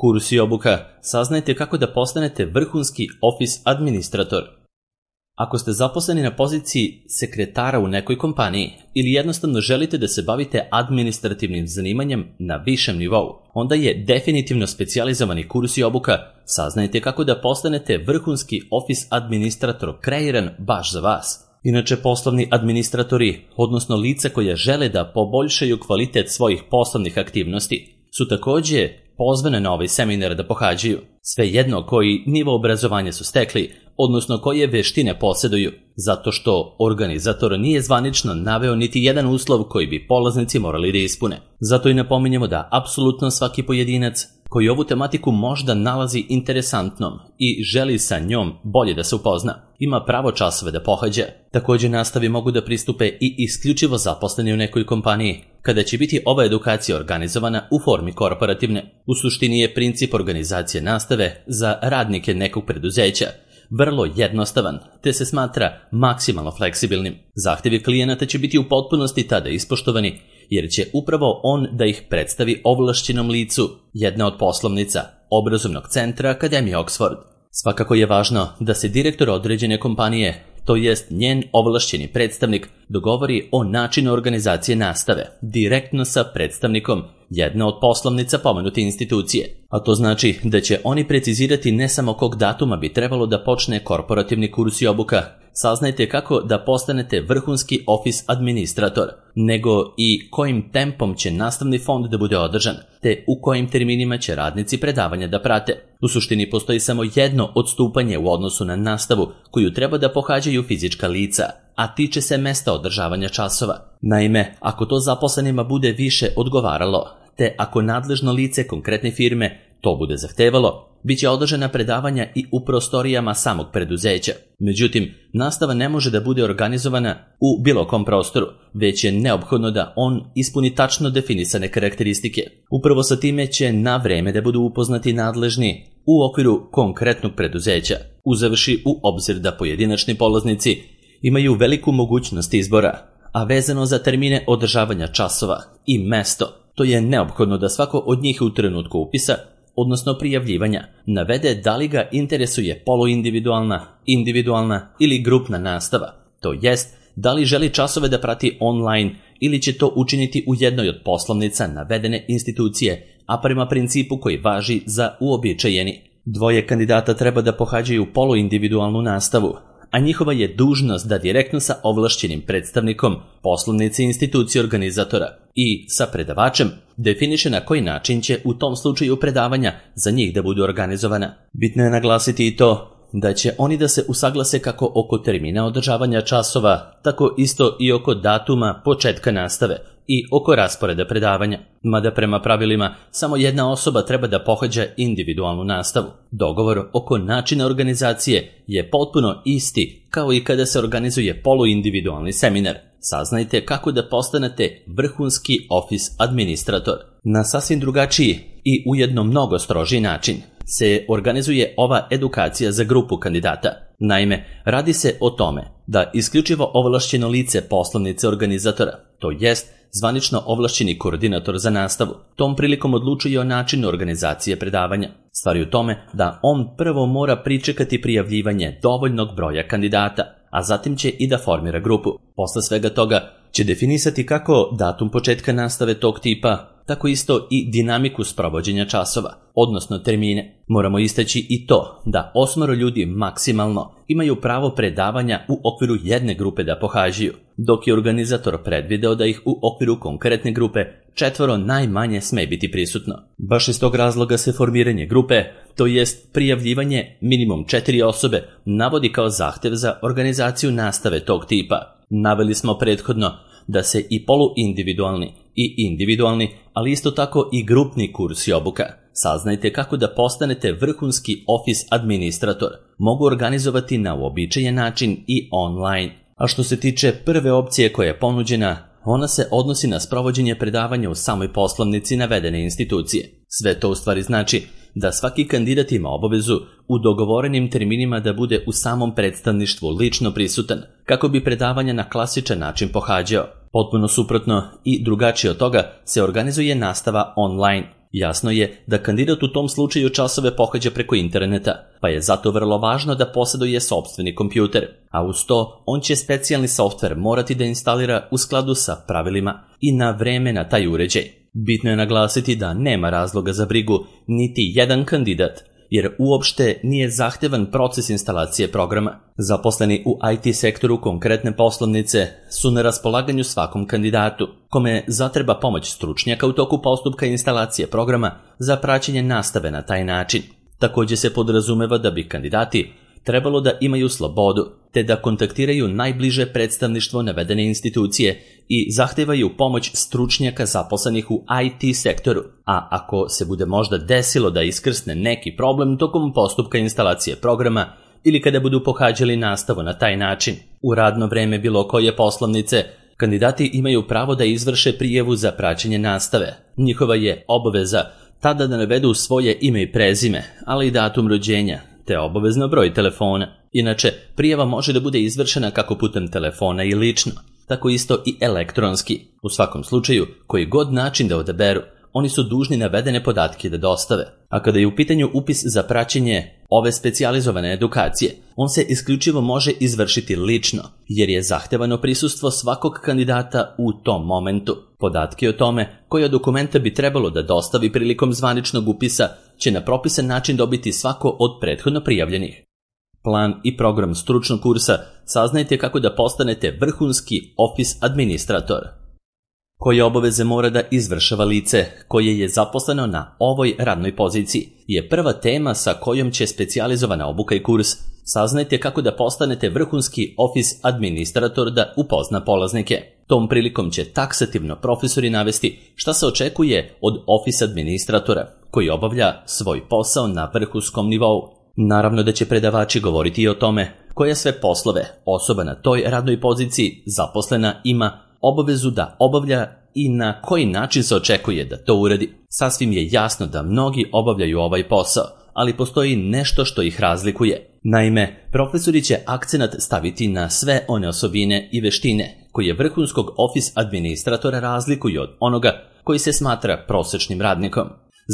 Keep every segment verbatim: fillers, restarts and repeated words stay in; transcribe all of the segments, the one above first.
Kurs i obuka. Saznajte kako da postanete vrhunski office administrator. Ako ste zaposleni na poziciji sekretara u nekoj kompaniji ili jednostavno želite da se bavite administrativnim zanimanjem na višem nivou, onda je definitivno specijalizovani kurs i obuka Saznajte kako da postanete vrhunski office administrator kreiran baš za vas. Inače, poslovni administratori, odnosno lica koja žele da poboljšaju kvalitet svojih poslovnih aktivnosti, su takođe pozvane na ovaj seminar da pohađaju, svejedno koji nivo obrazovanja su stekli, odnosno koje veštine posjeduju, zato što organizator nije zvanično naveo niti jedan uslov koji bi polaznici morali da ispune. Zato i napominjemo da apsolutno svaki pojedinac koji ovu tematiku možda nalazi interesantnom i želi sa njom bolje da se upozna, ima pravo časove da pohađa. Takođe, nastavi mogu da pristupe i isključivo zaposleni u nekoj kompaniji, kada će biti ova edukacija organizovana u formi korporativne. U suštini je princip organizacije nastave za radnike nekog preduzeća vrlo jednostavan, te se smatra maksimalno fleksibilnim. Zahtevi klijenata će biti u potpunosti tada ispoštovani, jer će upravo on da ih predstavi ovlašćenom licu jedne od poslovnica obrazovnog centra Akademije Oxford. Svakako je važno da se direktor određene kompanije, to jest njen ovlašćeni predstavnik, dogovori o načinu organizacije nastave direktno sa predstavnikom jedne od poslovnica pomenute institucije. A to znači da će oni precizirati ne samo kog datuma bi trebalo da počne korporativni kurs i obuka, saznajte kako da postanete vrhunski office administrator, nego i kojim tempom će nastavni fond da bude održan, te u kojim terminima će radnici predavanja da prate. U suštini postoji samo jedno odstupanje u odnosu na nastavu koju treba da pohađaju fizička lica, a tiče se mesta održavanja časova. Naime, ako to zaposlenima bude više odgovaralo, te ako nadležno lice konkretne firme to bude zahtevalo, bit će održana predavanja i u prostorijama samog preduzeća. Međutim, nastava ne može da bude organizovana u bilo kom prostoru, već je neophodno da on ispuni tačno definisane karakteristike. Upravo sa time će na vreme da budu upoznati nadležni u okviru konkretnog preduzeća, uzevši u obzir da pojedinačni polaznici imaju veliku mogućnost izbora, a vezano za termine održavanja časova i mesto, to je neophodno da svako od njih u trenutku upisa, odnosno prijavljivanja, navede da li ga interesuje poluindividualna, individualna ili grupna nastava, to jest da li želi časove da prati online ili će to učiniti u jednoj od poslovnica navedene institucije, a prema principu koji važi za uobičajeni. Dvoje kandidata treba da pohađaju poluindividualnu nastavu, a njihova je dužnost da direktno sa ovlašćenim predstavnikom poslovnice institucije organizatora i sa predavačem definiše na koji način će u tom slučaju predavanja za njih da budu organizovana. Bitno je naglasiti i to da će oni da se usaglase kako oko termina održavanja časova, tako isto i oko datuma početka nastave i oko rasporeda predavanja, mada prema pravilima samo jedna osoba treba da pohađa individualnu nastavu. Dogovor oko načina organizacije je potpuno isti kao i kada se organizuje poluindividualni seminar. Saznajte kako da postanete vrhunski office administrator. Na sasvim drugačiji i ujedno mnogo strožiji način se organizuje ova edukacija za grupu kandidata. Naime, radi se o tome da isključivo ovlašćeno lice poslovnice organizatora, to jest zvanično ovlašćeni koordinator za nastavu, tom prilikom odlučuje o načinu organizacije predavanja. Stvar je u tome da on prvo mora pričekati prijavljivanje dovoljnog broja kandidata, a zatim će i da formira grupu. Posle svega toga će definisati kako datum početka nastave tog tipa, tako isto i dinamiku sprovođenja časova, odnosno termine. Moramo istaći i to da osmoro ljudi maksimalno imaju pravo predavanja u okviru jedne grupe da pohađaju, dok je organizator predvideo da ih u okviru konkretne grupe četvoro najmanje sme biti prisutno. Baš iz tog razloga se formiranje grupe, to jest prijavljivanje minimum četiri osobe, navodi kao zahtev za organizaciju nastave tog tipa. Naveli smo prethodno da se i poluindividualni i individualni, ali isto tako i grupni kurs i obuka. Saznajte kako da postanete vrhunski office administrator. Mogu organizovati na uobičajen način i online. A što se tiče prve opcije koja je ponuđena, ona se odnosi na sprovođenje predavanja u samoj poslovnici navedene institucije. Sve to u stvari znači da svaki kandidat ima obavezu u dogovorenim terminima da bude u samom predstavništvu lično prisutan, kako bi predavanja na klasičan način pohađao. Potpuno suprotno i drugačije od toga se organizuje nastava online. Jasno je da kandidat u tom slučaju časove pohađa preko interneta, pa je zato vrlo važno da posjeduje sopstveni kompjuter, a uz to on će specijalni softver morati da instalira u skladu sa pravilima i na vreme na taj uređaj. Bitno je naglasiti da nema razloga za brigu niti jedan kandidat, jer uopšte nije zahtevan proces instalacije programa. Zaposleni u I T sektoru konkretne poslovnice su na raspolaganju svakom kandidatu, kome zatreba pomoć stručnjaka u toku postupka instalacije programa za praćenje nastave na taj način. Također se podrazumeva da bi kandidati trebalo da imaju slobodu, te da kontaktiraju najbliže predstavništvo navedene institucije i zahtevaju pomoć stručnjaka zaposlenih u I T sektoru, a ako se bude možda desilo da iskrsne neki problem tokom postupka instalacije programa ili kada budu pohađali nastavu na taj način, u radno vreme bilo koje poslovnice, kandidati imaju pravo da izvrše prijavu za praćenje nastave. Njihova je obaveza tada da navedu svoje ime i prezime, ali i datum rođenja, te obavezno broj telefona. Inače, prijava može da bude izvršena kako putem telefona i lično, tako isto i elektronski. U svakom slučaju, koji god način da odaberu, oni su dužni navedene podatke da dostave. A kada je u pitanju upis za praćenje ove specijalizovane edukacije, on se isključivo može izvršiti lično, jer je zahtevano prisustvo svakog kandidata u tom momentu. Podatke o tome koja dokumenta bi trebalo da dostavi prilikom zvaničnog upisa će na propisan način dobiti svako od prethodno prijavljenih. Plan i program stručnog kursa saznajte kako da postanete vrhunski Office administrator. Koje obaveze mora da izvršava lice koje je zaposleno na ovoj radnoj poziciji je prva tema sa kojom će specijalizovana obuka i kurs. Saznajte kako da postanete vrhunski Office administrator da upozna polaznike. Tom prilikom će taksativno profesori navesti šta se očekuje od Office administratora koji obavlja svoj posao na vrhunskom nivou. Naravno da će predavači govoriti i o tome koje sve poslove osoba na toj radnoj poziciji zaposlena ima obavezu da obavlja i na koji način se očekuje da to uradi. Sasvim je jasno da mnogi obavljaju ovaj posao, ali postoji nešto što ih razlikuje. Naime, profesori će akcenat staviti na sve one osobine i veštine koje vrhunskog Office administratora razlikuju od onoga koji se smatra prosječnim radnikom.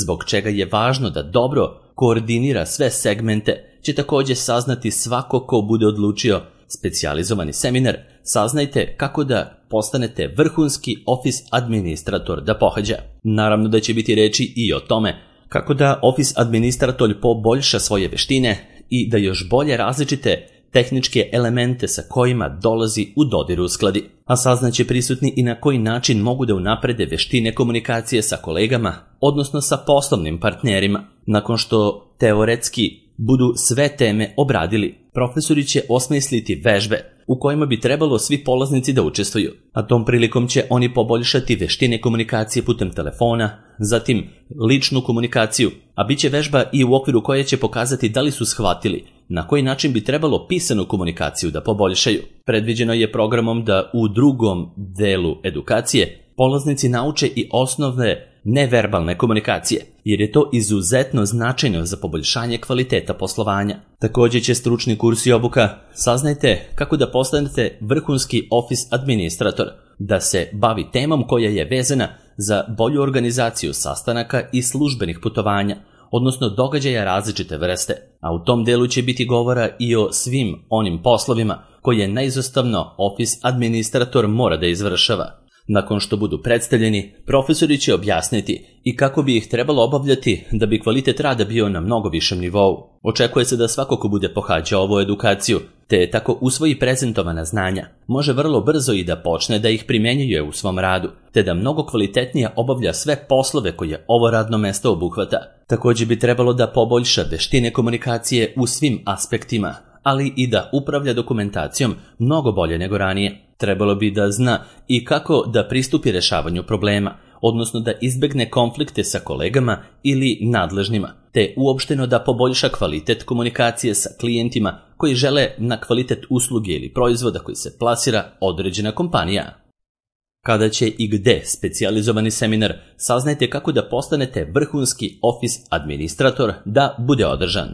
Zbog čega je važno da dobro koordinira sve segmente, će također saznati svako ko bude odlučio specijalizovani seminar. Saznajte kako da postanete vrhunski Office administrator da pohađa. Naravno da će biti reči i o tome kako da Office administrator poboljša svoje veštine i da još bolje različite tehničke elemente sa kojima dolazi u dodir uskladi. A saznaće prisutni i na koji način mogu da unaprede veštine komunikacije sa kolegama, odnosno sa poslovnim partnerima. Nakon što teoretski budu sve teme obradili, profesori će osmisliti vežbe u kojima bi trebalo svi polaznici da učestvuju, a tom prilikom će oni poboljšati veštine komunikacije putem telefona, zatim ličnu komunikaciju, a bit će vežba i u okviru koje će pokazati da li su shvatili na koji način bi trebalo pisanu komunikaciju da poboljšaju. Predviđeno je programom da u drugom delu edukacije polaznici nauče i osnovne neverbalne komunikacije, jer je to izuzetno značajno za poboljšanje kvaliteta poslovanja. Također će stručni kurs i obuka saznajte kako da postanete vrhunski Office administrator, da se bavi temom koja je vezana za bolju organizaciju sastanaka i službenih putovanja, odnosno događaja različite vrste, a u tom delu će biti govora i o svim onim poslovima koje neizostavno Office administrator mora da izvršava. Nakon što budu predstavljeni, profesori će objasniti i kako bi ih trebalo obavljati da bi kvalitet rada bio na mnogo višem nivou. Očekuje se da svako ko bude pohađao ovu edukaciju, te tako usvoji prezentovana znanja, može vrlo brzo i da počne da ih primjenjuje u svom radu, te da mnogo kvalitetnije obavlja sve poslove koje ovo radno mesto obuhvata. Također bi trebalo da poboljša veštine komunikacije u svim aspektima, ali i da upravlja dokumentacijom mnogo bolje nego ranije. Trebalo bi da zna i kako da pristupi rešavanju problema, odnosno da izbegne konflikte sa kolegama ili nadležnima, te uopšteno da poboljša kvalitet komunikacije sa klijentima koji žele na kvalitet usluge ili proizvoda koji se plasira određena kompanija. Kada će i gde specijalizovani seminar, saznajte kako da postanete vrhunski Office administrator da bude održan.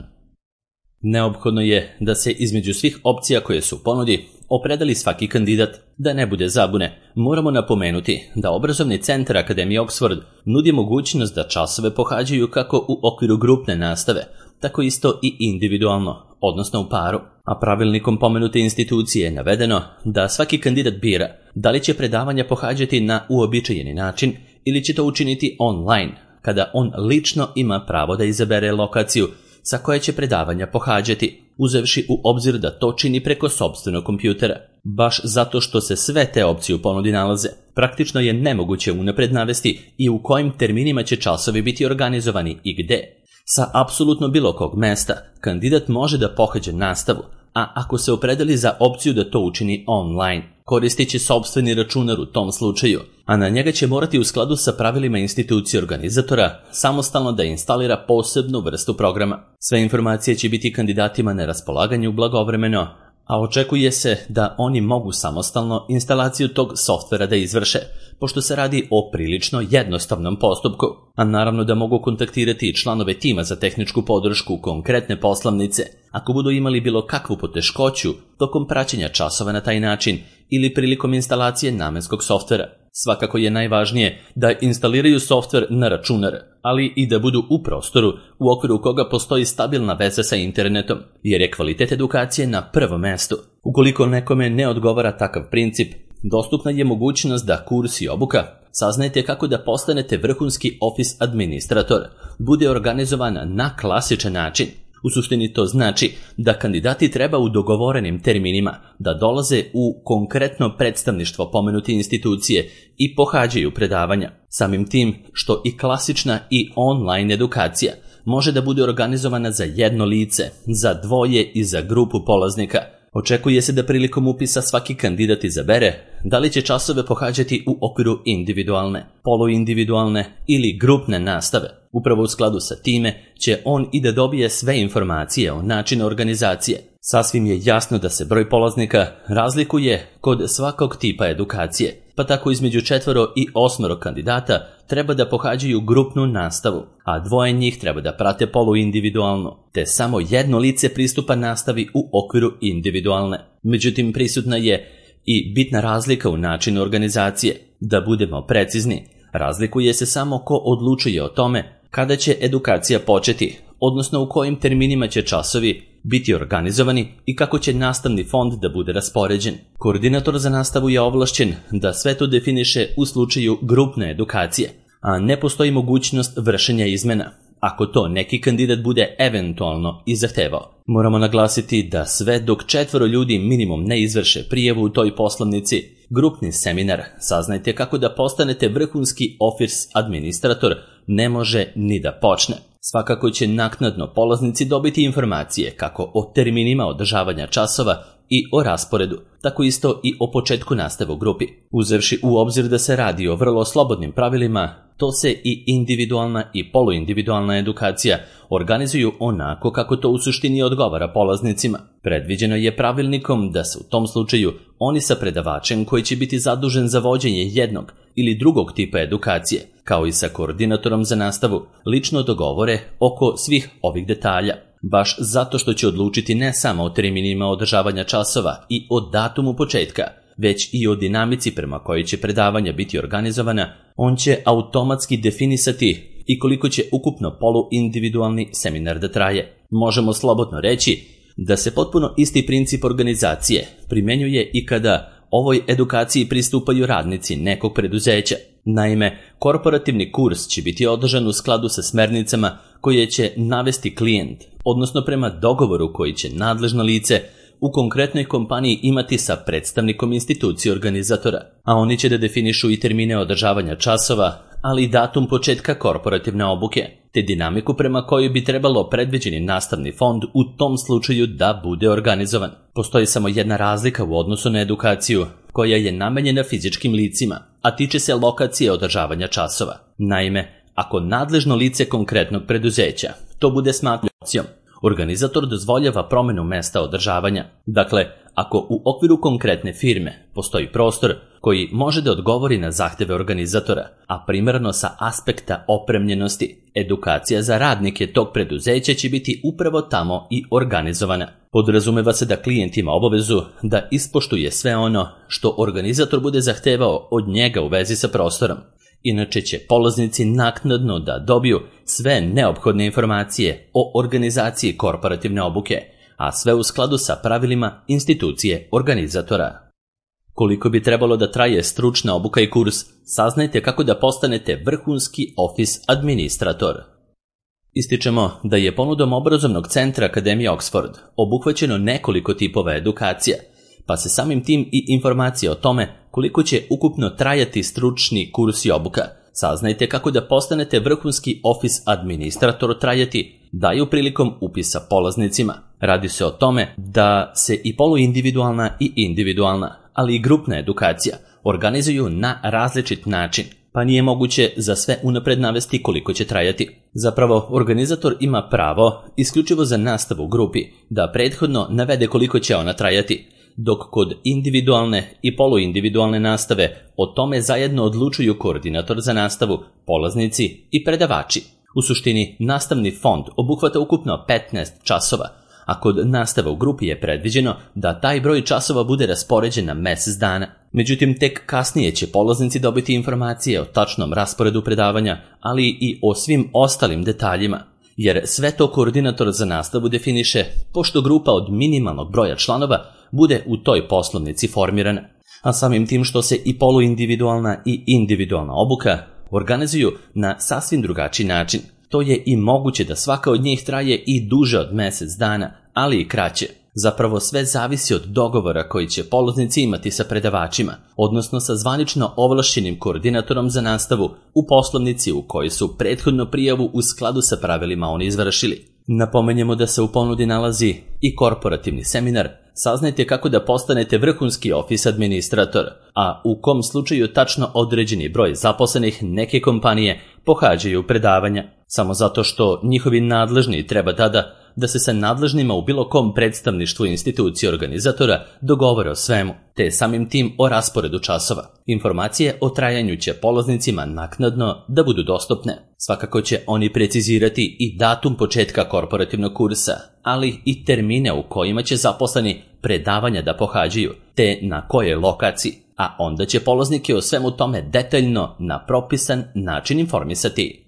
Neophodno je da se između svih opcija koje su u ponudi opredeli svaki kandidat. Da ne bude zabune, moramo napomenuti da obrazovni centar Akademije Oxford nudi mogućnost da časove pohađaju kako u okviru grupne nastave, tako isto i individualno, odnosno u paru. A pravilnikom pomenute institucije je navedeno da svaki kandidat bira da li će predavanja pohađati na uobičajeni način ili će to učiniti online, kada on lično ima pravo da izabere lokaciju sa koje će predavanja pohađati, uzevši u obzir da to čini preko sopstvenog kompjutera. Baš zato što se sve te opcije u ponudi nalaze, praktično je nemoguće unapred navesti i u kojim terminima će časovi biti organizovani i gde. Sa apsolutno bilo kog mesta, kandidat može da pohađa nastavu, a ako se opredeli za opciju da to učini online, koristit će sopstveni računar u tom slučaju, a na njega će morati u skladu sa pravilima institucije organizatora samostalno da instalira posebnu vrstu programa. Sve informacije će biti kandidatima na raspolaganju blagovremeno, a očekuje se da oni mogu samostalno instalaciju tog softvera da izvrše, pošto se radi o prilično jednostavnom postupku, a naravno da mogu kontaktirati članove tima za tehničku podršku konkretne poslovnice ako budu imali bilo kakvu poteškoću tokom praćenja časova na taj način ili prilikom instalacije namenskog softvera. Svakako je najvažnije da instaliraju softver na računar, ali i da budu u prostoru u okviru koga postoji stabilna veza sa internetom, jer je kvalitet edukacije na prvom mestu. Ukoliko nekome ne odgovara takav princip, dostupna je mogućnost da kurs i obuka saznajte kako da postanete vrhunski office administrator bude organizovan na klasičan način. U suštini to znači da kandidati treba u dogovorenim terminima da dolaze u konkretno predstavništvo pomenute institucije i pohađaju predavanja. Samim tim što i klasična i online edukacija može da bude organizovana za jedno lice, za dvoje i za grupu polaznika. Očekuje se da prilikom upisa svaki kandidat izabere da li će časove pohađati u okviru individualne, poluindividualne ili grupne nastave. Upravo u skladu sa time će on i da dobije sve informacije o načinu organizacije. Sasvim je jasno da se broj polaznika razlikuje kod svakog tipa edukacije, pa tako između četvoro i osmoro kandidata treba da pohađaju grupnu nastavu, a dvoje njih treba da prate poluindividualno, te samo jedno lice pristupa nastavi u okviru individualne. Međutim, prisutna je i bitna razlika u načinu organizacije. Da budemo precizni, razlikuje se samo ko odlučuje o tome kada će edukacija početi, odnosno u kojim terminima će časovi biti organizovani i kako će nastavni fond da bude raspoređen. Koordinator za nastavu je ovlašćen da sve to definiše u slučaju grupne edukacije, a ne postoji mogućnost vršenja izmena, ako to neki kandidat bude eventualno i zahtevao. Moramo naglasiti da sve dok četvoro ljudi minimum ne izvrše prijavu u toj poslovnici, grupni seminar saznajte kako da postanete vrhunski office administrator ne može ni da počne. Svakako će naknadno polaznici dobiti informacije kako o terminima održavanja časova i o rasporedu, tako isto i o početku nastave u grupi. Uzevši u obzir da se radi o vrlo slobodnim pravilima, to se i individualna i poluindividualna edukacija organizuju onako kako to u suštini odgovara polaznicima. Predviđeno je pravilnikom da se u tom slučaju oni sa predavačem koji će biti zadužen za vođenje jednog ili drugog tipa edukacije, kao i sa koordinatorom za nastavu, lično dogovore oko svih ovih detalja. Baš zato što će odlučiti ne samo o terminima održavanja časova i o datumu početka, već i o dinamici prema kojoj će predavanja biti organizovana, on će automatski definisati i koliko će ukupno poluindividualni seminar da traje. Možemo slobodno reći da se potpuno isti princip organizacije primenjuje i kada ovoj edukaciji pristupaju radnici nekog preduzeća. Naime, korporativni kurs će biti održan u skladu sa smernicama koje će navesti klijent, odnosno prema dogovoru koji će nadležno lice u konkretnoj kompaniji imati sa predstavnikom institucije organizatora, a oni će da definišu i termine održavanja časova, ali i datum početka korporativne obuke, te dinamiku prema kojoj bi trebalo predviđeni nastavni fond u tom slučaju da bude organizovan. Postoji samo jedna razlika u odnosu na edukaciju, koja je namenjena fizičkim licima, a tiče se lokacije održavanja časova. Naime, ako nadležno lice konkretnog preduzeća to bude smatralo opcijom, organizator dozvoljava promenu mesta održavanja. Dakle, ako u okviru konkretne firme postoji prostor koji može da odgovori na zahteve organizatora, a primarno sa aspekta opremljenosti, edukacija za radnike tog preduzeća će biti upravo tamo i organizovana. Podrazumeva se da klijent ima obavezu da ispoštuje sve ono što organizator bude zahtevao od njega u vezi sa prostorom. Inače će polaznici naknadno da dobiju sve neophodne informacije o organizaciji korporativne obuke, a sve u skladu sa pravilima institucije organizatora. Koliko bi trebalo da traje stručna obuka i kurs, saznajte kako da postanete vrhunski office administrator. Ističemo da je ponudom obrazovnog centra Akademije Oxford obuhvaćeno nekoliko tipova edukacija, pa se samim tim i informacije o tome koliko će ukupno trajati stručni kurs i obuka, saznajte kako da postanete vrhunski office administrator trajati, daju prilikom upisa polaznicima. Radi se o tome da se i poluindividualna i individualna, ali i grupna edukacija organizuju na različit način, pa nije moguće za sve unapred navesti koliko će trajati. Zapravo, organizator ima pravo, isključivo za nastavu u grupi, da prethodno navede koliko će ona trajati, dok kod individualne i poluindividualne nastave o tome zajedno odlučuju koordinator za nastavu, polaznici i predavači. U suštini, nastavni fond obuhvata ukupno petnaest časova, a kod nastave u grupi je predviđeno da taj broj časova bude raspoređen na mesec dana. Međutim, tek kasnije će polaznici dobiti informacije o tačnom rasporedu predavanja, ali i o svim ostalim detaljima, jer sve to koordinator za nastavu definiše, pošto grupa od minimalnog broja članova bude u toj poslovnici formirana. A samim tim što se i poluindividualna i individualna obuka organizuju na sasvim drugačiji način, to je i moguće da svaka od njih traje i duže od mesec dana, ali i kraće. Zapravo sve zavisi od dogovora koji će polaznici imati sa predavačima, odnosno sa zvanično ovlašćenim koordinatorom za nastavu u poslovnici u kojoj su prethodnu prijavu u skladu sa pravilima oni izvršili. Napomenjemo da se u ponudi nalazi i korporativni seminar, saznajte kako da postanete vrhunski office administrator, a u kom slučaju tačno određeni broj zaposlenih neke kompanije pohađaju predavanja, samo zato što njihovi nadležni treba tada da se sa nadležnima u bilo kom predstavništvu institucije organizatora dogovore o svemu, te samim tim o rasporedu časova. Informacije o trajanju će polaznicima naknadno da budu dostupne. Svakako će oni precizirati i datum početka korporativnog kursa, ali i termine u kojima će zaposleni predavanja da pohađaju, te na kojoj lokaciji, a onda će polaznike o svemu tome detaljno na propisan način informisati.